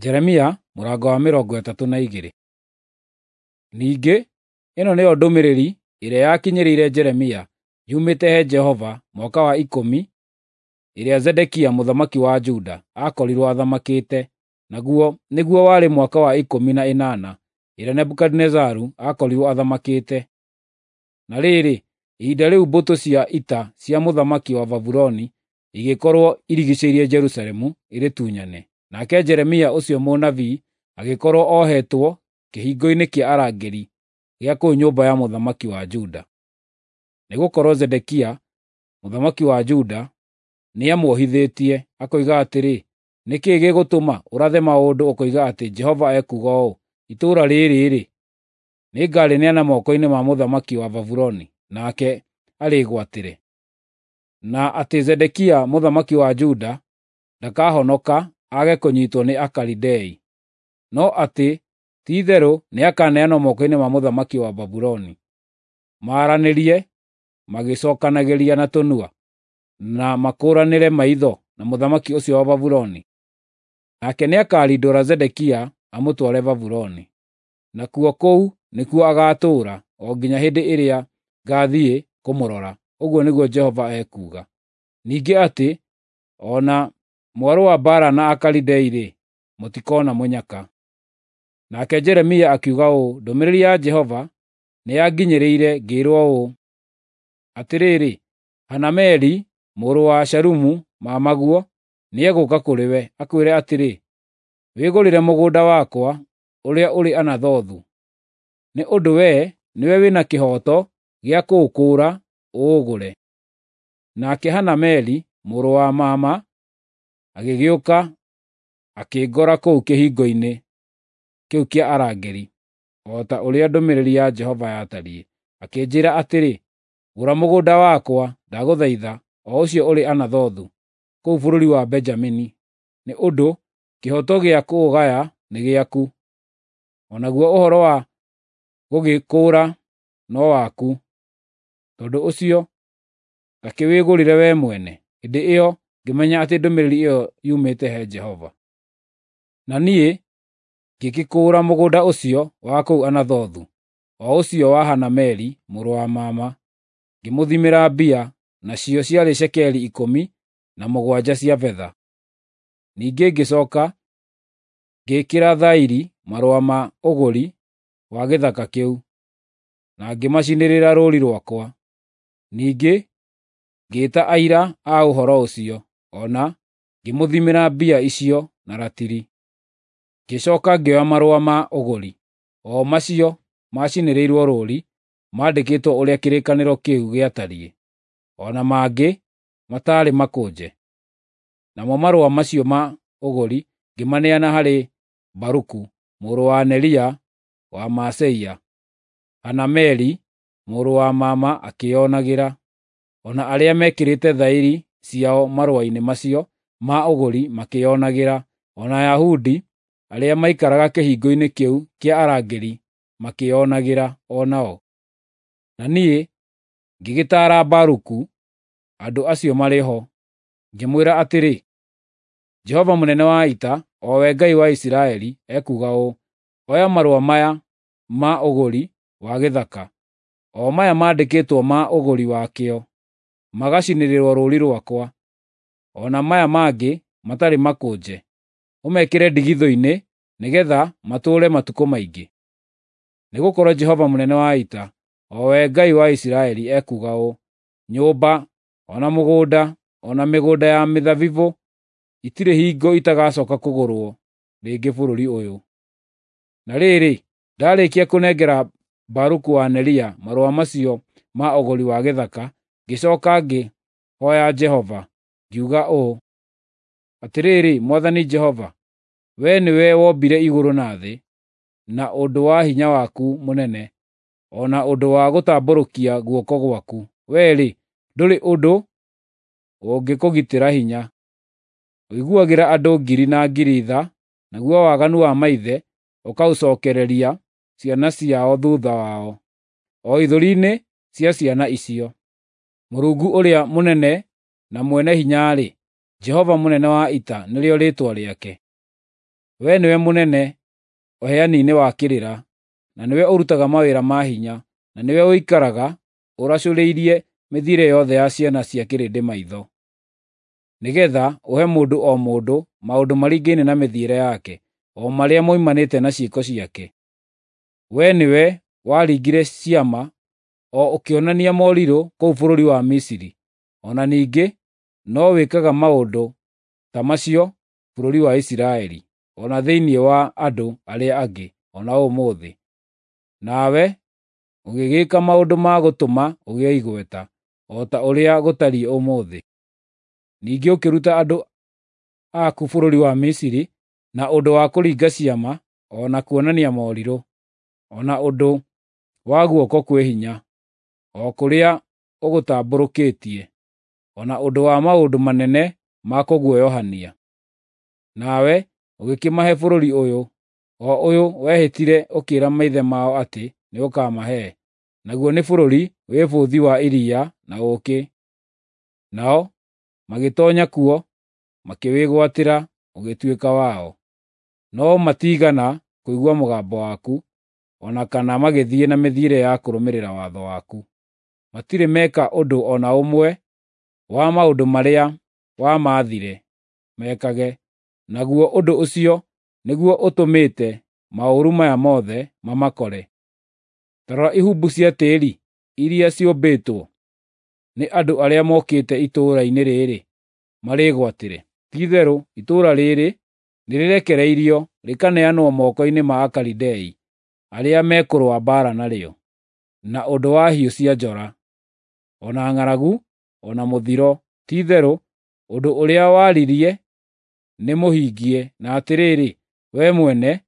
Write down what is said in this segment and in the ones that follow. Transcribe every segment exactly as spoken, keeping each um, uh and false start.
Jeremia mũrango wa mĩrongo ĩtatũ na igĩrĩ. Ningĩ ĩno nĩyo ndũmĩrĩri ĩrĩa yakinyĩrĩire Jeremia yumĩte he Jehova mwaka wa ikũmi ĩrĩa Zedekia mũthamaki wa Juda aakorirwo athamakĩte, naguo nĩguo warĩ mwaka wa ikũmi na ĩnana ĩrĩa Nebukadinezaru aakorirwo athamakĩte. Na rĩrĩ, ihinda rĩu mbũtũ cia ita cia mũthamaki wa Babuloni igĩkorwo irigiicĩirie Jerusalemu irĩtunyane, nake Jeremia ũcio mũnabii agĩkorwo ohetwo kĩhingo-inĩ kĩa arangĩri gĩa kũu nyũmba ya mũthamaki wa Juda. Nĩgũkorwo Zedekia mũthamaki wa Juda nĩamuohithĩtie, akoiga atĩrĩ, “Nĩ kĩĩ gĩgũtũma ũrathe maũndũ ũkoiga atĩ Jehova ekuuga ũũ: Itũũra rĩĩrĩ-rĩ, nĩngarĩneana moko-inĩ ma mũthamaki wa Babuloni, nake arĩĩgwatĩre.” Na atĩ Zedekia mũthamaki wa Juda ndakahonoka aage kũnyiitwo nĩ Akalidei, no atĩ ti-itherũ nĩakaneanwo moko-inĩ ma mũthamaki wa Babuloni, maaranĩrie magĩcookanagĩria na tũnua, na makũũranĩre maitho na mũthamaki ũcio wa Babuloni. Nake nĩakarindũra Zedekia amũtware Babuloni, nakuo kũu nĩkuo agaatũũra o nginya hĩndĩ ĩrĩa ngaathiĩ kũmũrora, ũguo nĩguo Jehova ekuuga. Ningĩ atĩ o na mwarũa mbaara na Akalidei-rĩ, mũtikoona mũnyaka. Nake Jeremia akiuga ũũ, “Ndũmĩrĩri ya Jehova nĩyanginyĩrĩire ngĩĩrwo ũũ: Atĩrĩrĩ, Hanameli mũrũ wa Shalumu mamaguo nĩegũũka kũrĩ we, akwĩre atĩrĩ, ‘Wĩgũrĩre mũgũnda wakwa ũrĩa ũrĩ Anathothu, nĩ ũndũ wee nĩwe wĩ na kĩhooto gĩa kũũkũũra ũũgũre.’ ” Nake Hanameli mũrũ wa mama agĩgĩũka akĩngora kũu kĩhingo-inĩ kĩu kĩa arangĩri, o ta ũrĩa ndũmĩrĩri ya Jehova yatariĩ, akĩnjĩĩra atĩrĩ, “Gũra mũgũnda wakwa, ndagũthaitha, o ũcio ũrĩ Anathothu, kũu bũrũri wa Benjamini, nĩ ũndũ kĩhooto gĩa kũũgaya nĩ gĩaku, o naguo ũhoro wa gũgĩkũũra no waku. Tondũ ũcio ta kĩwĩgũrĩre wee mwene.” Hĩndĩ ĩyo ngĩmenya atĩ ndũmĩrĩri ĩyo yumĩte he Jehova. Na niĩ ngĩgĩkũũra mũgũnda ũcio wa kũu Anathothu, o ũcio wa Hanameli mũrũ wa mama, ngĩmũthimĩra mbia, nacio ciarĩ cekeri ikũmi na mũgwanja cia betha. Ningĩ ngĩcooka ngĩĩkĩra thaĩri marũa ma ũgũri wa gĩthaka kĩu, na ngĩmacinĩrĩra rũũri rwakwa. Ningĩ ngĩĩta aira a ũhoro ũcio, o na ngĩmũthimĩra mbia icio na ratiri. Ngĩcooka ngĩoya marũa ma ũgũri, o macio macinĩrĩirwo rũũri mandĩkĩtwo ũrĩa kĩrĩkanĩro kĩu gĩatariĩ, o na mangĩ mataarĩ makũnje. Namo marũa macio ma ũgũri ngĩmaneana harĩ Baruku mũrũ wa Neria wa Maaseia, Hanameli mũrũ wa mama akĩĩonagĩra, o na arĩa mekĩrĩte thaĩri ciao marũa-inĩ macio ma ũgũri makĩĩonagĩra, o na Ayahudi arĩa maikaraga kĩhingo-inĩ kĩu kĩa arangĩri makĩĩonagĩra o nao. Na niĩ ngĩgĩtaara Baruku andũ acio marĩ ho, ngĩmwĩra atĩrĩ, “Jehova mũnene wa ita, o we Ngai wa Isiraeli, ekuuga ũũ: Oya marũa maya ma ũgũri wa gĩthaka, o maya mandĩkĩtwo ma ũgũri wakĩo, magacinĩrĩrwo rũũri rwakwa, o na maya mangĩ matarĩ makũnje, ũmekĩre ndigithũ-inĩ nĩgeetha matũũre matukũ maingĩ. Nĩgũkorwo Jehova mũnene wa ita, o we Ngai wa Isiraeli, ekuuga ũũ: Nyũmba, o na mũgũnda, o na mĩgũnda ya mĩthabibũ itirĩ hingo itagacooka kũgũrwo rĩngĩ bũrũri ũyũ.” Na rĩrĩ, ndaarĩkia kũnengera Baruku wa Neria marũa macio ma ũgũri wa gĩthaka, ngĩcooka ngĩhooya Jehova, ngiuga ũũ: “Atĩrĩrĩ, Mwathani Jehova, wee nĩwe wombire igũrũ na thĩ na ũndũ wa hinya waku mũnene, o na ũndũ wa gũtambũrũkia guoko gwaku. Wee-rĩ, ndũrĩ ũndũ ũngĩkũgitĩra hinya. Ũiguagĩra andũ ngiri na ngiri tha, naguo waganu wa maithe ũkaũcookereria ciana ciao thuutha wao, o ithũri-inĩ cia ciana icio. Mũrungu ũrĩa mũnene na mwene hinya-rĩ, Jehova mũnene wa ita nĩrĩo rĩĩtwa rĩake. Wee nĩwe mũnene ũheani-inĩ wa kĩrĩra, na nĩwe ũrutaga mawĩra ma hinya, na nĩwe ũikaraga ũracũrĩirie mĩthiĩre yothe ya ciana cia kĩrĩndĩ maitho, nĩgeetha ũhe mũndũ o mũndũ maũndũ maringaine na mĩthiĩre yake, o marĩa moimanĩte na ciĩko ciake. Wee nĩwe waringire ciama o ũkĩonania morirũ kũu bũrũri wa Misiri, o na ningĩ no wĩkaga maũndũ ta macio bũrũri wa Isiraeli, o na thĩinĩ wa andũ arĩa angĩ, o na ũmũthĩ. Nawe ũgĩgĩĩka maũndũ ma gũtũma ũgĩe igweta, o ta ũrĩa gũtariĩ ũmũthĩ. Ningĩ ũkĩruta andũ aku bũrũri wa Misiri na ũndũ wa kũringa ciama o na kuonania morirũ, o na ũndũ wa guoko kwĩ hinya, o kũrĩa ũgũtambũrũkĩtie, o na ũndũ wa maũndũ manene ma kũguoyohania. Nawe ũgĩkĩmahe bũrũri ũyũ, o ũyũ wehĩtire ũkĩĩra maithe mao atĩ nĩũkamahe, naguo nĩ bũrũri wĩ bũthi wa iria na ũũkĩ. Nao magĩtoonya kuo, makĩwĩgwatĩra ũgĩtuĩka wao. No matiigana kũigua mũgambo waku, o na kana magĩthiĩ na mĩthiĩre ya kũrũmĩrĩra watho waku. Matirĩ meka ũndũ o na ũmwe wa maũndũ marĩa wamaathire mekage, naguo ũndũ ũcio nĩguo ũtũmĩte maũru maya mothe mamakore. Ta rora ihumbu cia tĩĩri iria ciũmbĩtwo nĩ andũ arĩa mokĩte itũũra-inĩ rĩrĩ marĩĩgwatĩre. Ti-itherũ itũũra rĩrĩ nĩrĩrekereirio rĩkaneanwo moko-inĩ ma Akalidei arĩa mekũrũa mbaara narĩo, na ũndũ wa hiũ cia njora, o na ng'aragu, o na mũthiro. Ti-itherũ ũndũ ũrĩa waririe nĩmũhingie, na atĩrĩrĩ, wee mwene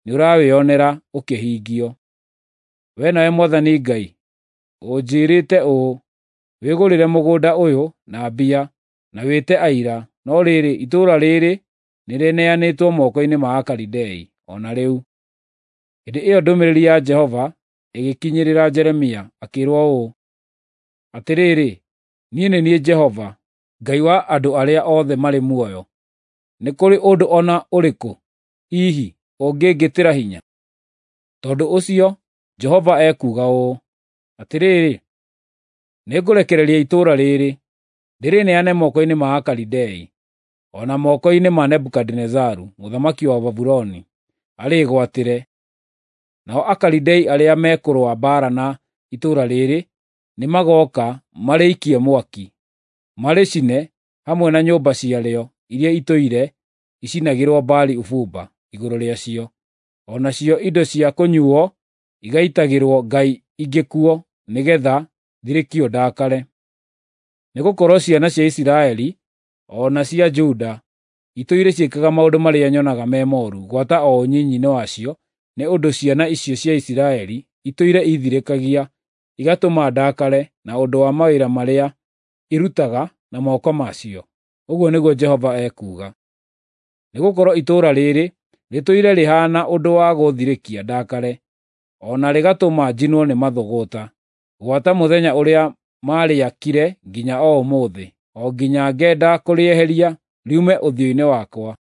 nĩũrawĩonera ũkĩhingio. Wee nawe Mwathani Ngai, ũnjĩĩrĩte ũũ, ‘Wĩgũrĩre mũgũnda ũyũ na mbia, na wĩte aira,’ no rĩrĩ, itũũra rĩrĩ nĩrĩneanĩtwo moko-inĩ ma Akalidei o na rĩu." Hĩndĩ ĩyo ndũmĩrĩri ya Jehova ĩgĩkinyĩrĩra Jeremia, akĩĩrwo ũũ: Atĩrĩrĩ, niĩ nĩ niĩ Jehova, Ngai wa andũ arĩa othe marĩ muoyo. Nĩ kũrĩ ũndũ o na ũrĩkũ hihi ũngĩngĩtĩra hinya? Tondũ ũcio Jehova ekuuga ũũ: Atĩrĩrĩ, nĩngũrekereria itũũra rĩrĩ, ndĩrĩneane moko-inĩ ma Akalidei, o na moko-inĩ ma Nebukadinezaru mũthamaki wa Babuloni, arĩĩgwatĩre. Nao Akalidei arĩa mekũrũa mbaara na itũũra rĩrĩ nĩmagooka marĩikie mwaki, marĩcine hamwe na nyũmba ciarĩo iria itũire icinagĩrwo Baali ũbumba igũrũ rĩacio, o nacio indo cia kũnyuuo igaitagĩrwo ngai ingĩ kuo, nĩgeetha thirĩkio ndakare. Nĩgũkorwo ciana cia Isiraeli o na cia Juda itũire ciĩkaga maũndũ marĩa nyonaga me mooru gwata o ũnyinyi-inĩ wacio, nĩ ũndũ ciana icio cia Isiraeli itũire iithirĩkagia, igatũma ndakare na ũndũ wa mawĩra marĩa irutaga na moko macio, ũguo nĩguo Jehova ekuuga. Nĩgũkorwo itũũra rĩrĩ rĩtũire rĩhaana ũndũ wa gũũthirĩkia ndakare, o na rĩgatũma njinwo nĩ mathũgũta, gwata mũthenya ũrĩa maarĩakire nginya o ũmũthĩ, o nginya ngenda kũrĩeheria riume ũthiũ-inĩ wakwa,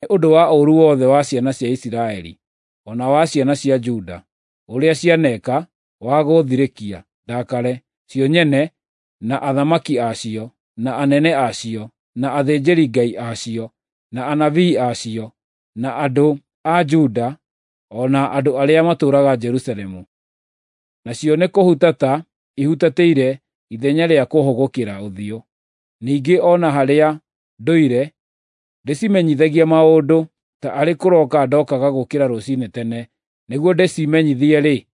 nĩ ũndũ wa ũũru wothe wa ciana cia Isiraeli, o na wa ciana cia Juda, ũrĩa cianeeka wa gũũthirĩkia ndakare, cio nyene, na athamaki a cio, na anene a cio, na athĩnjĩri-Ngai a cio, na anabii a cio, na andũ a Juda, o na andũ arĩa matũũraga Jerusalemu. Nacio nĩkũhutata ihutatĩire ithenya rĩa kũũhũgũkĩra ũthiũ. Ningĩ o na harĩa ndũire ndĩcimenyithagia maũndũ, ta arĩ kũroka ndokaga gũũkĩra rũciinĩ tene nĩguo ndĩcimenyithie-rĩ,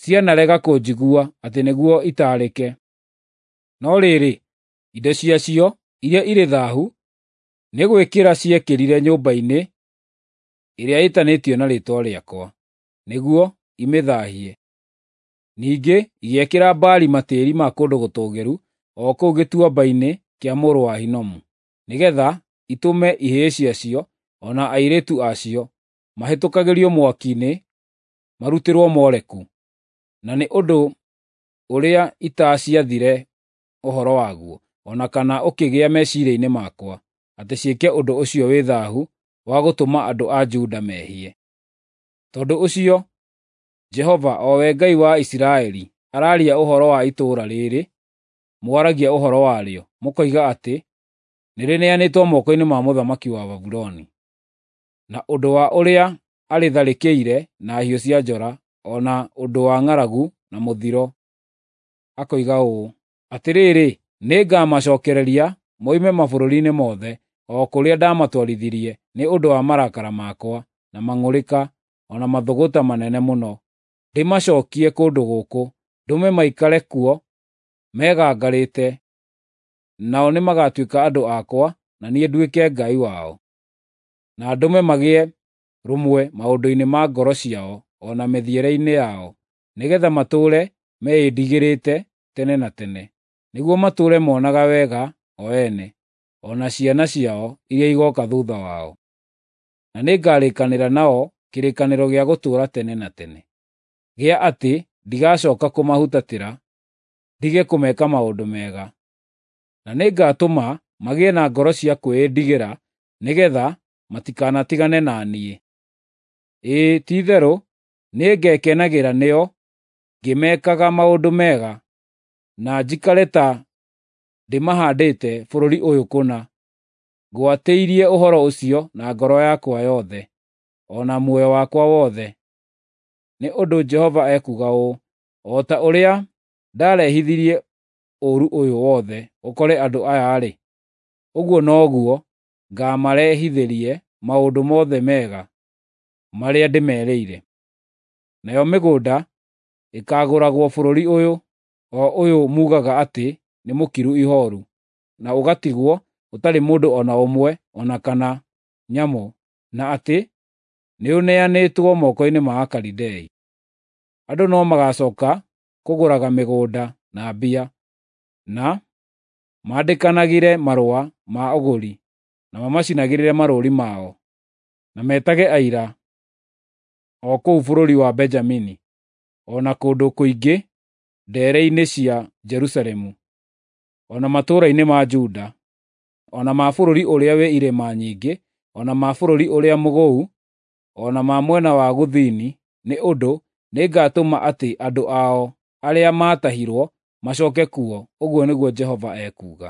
cianarega kũnjigua atĩ nĩguo itaarĩke. No rĩrĩ, indo ciacio iria irĩ thaahu nĩ gwĩkĩra ciekĩrire nyũmba-inĩ ĩrĩa ĩtanĩtio na Rĩĩtwa rĩakwa, nĩguo imĩthaahie. Ningĩ igĩakĩra Baali matĩĩri ma kũndũ gũtũũgĩru o kũu gĩtuamba-inĩ kĩa mũrũ wa Hinomu, nĩgeetha itũme ihĩĩ ciacio o na airĩtu a cio mahĩtũkagĩrio mwaki-inĩ marutĩrwo Moleku, na nĩ ũndũ ũrĩa itaaciathire ũhoro waguo, o na kana ũkĩgĩa meciiria-inĩ makwa, atĩ ciĩke ũndũ ũcio wĩ thaahu wa gũtũma andũ a Juda mehie. Tondũ ũcio, Jehova, o we Ngai wa Isiraeli, araria ũhoro wa itũũra rĩrĩ mwaragia ũhoro warĩo, mũkoiga atĩ nĩrĩneanĩtwo moko-inĩ ma mũthamaki wa Babuloni, na ũndũ wa ũrĩa arĩtharĩkĩire na hiũ cia njora, o na ũndũ wa ng'aragu na mũthiro, akoiga ũũ: Atĩrĩrĩ, nĩngamacokereria moime mabũrũri-inĩ mothe, o kũrĩa ndamatwarithirie nĩ ũndũ wa marakara makwa, na mang'ũrĩka, o na mathũgũta manene mũno, ndĩmacookie kũndũ gũkũ, ndũme maikare kuo megangarĩte, nao nĩmagatuĩka andũ akwa, na niĩ nduĩke Ngai wao. Na ndũme magĩe rũmwe maũndũ-inĩ ma ngoro ciao o na mĩthiĩre-inĩ yao, nĩgeetha matũũre meĩndigĩrĩte tene na tene, nĩguo matũũre monaga wega o ene, o na ciana ciao iria igooka thuutha wao. Na nĩngarĩkanĩra nao kĩrĩkanĩro gĩa gũtũũra tene na tene, gĩa atĩ ndigacooka kũmahutatĩra, ndige kũmeka maũndũ mega. Na nĩngatũma magĩe na ngoro cia kwĩĩndigĩra, nĩgeetha matikanatigane na niĩ. Ĩĩ, ti-itherũ nĩngekenagĩra nĩo ngĩmekaga maũndũ mega, na njikare ta ndĩmahaandĩte bũrũri ũyũ kũna. Ngwatĩirie ũhoro ũcio na ngoro yakwa yothe, o na muoyo wakwa wothe. Nĩ ũndũ Jehova ekuuga ũũ: O ta ũrĩa ndaarehithirie ũũru ũyũ wothe ũkore andũ aya-rĩ, ũguo noguo ngaamarehithĩrie maũndũ mothe mega marĩa ndĩmerĩire. Nayo mĩgũnda ĩkaagũragwo bũrũri ũyũ, o ũyũ muugaga atĩ nĩ mũkiru ihooru, na ũgatigwo ũtarĩ mũndũ o na ũmwe o na kana nyamũ, na atĩ nĩũneanĩtwo moko-inĩ ma Akalidei. Andũ no magacooka kũgũraga mĩgũnda na mbia, na mandĩkanagĩre marũa ma ũgũri, na mamacinagĩrĩre marũũri mao, na metage aira o kũu bũrũri wa Benjamini, o na kũndũ kũingĩ ndeere-inĩ cia Jerusalemu, o na matũũra-inĩ ma Juda, o na ma bũrũri ũrĩa wĩ irĩma nyingĩ, o na ma bũrũri ũrĩa mũgũu, o na ma mwena wa gũthini, nĩ ũndũ nĩngatũma atĩ andũ ao arĩa maatahirwo macooke kuo, ũguo nĩguo Jehova ekuuga.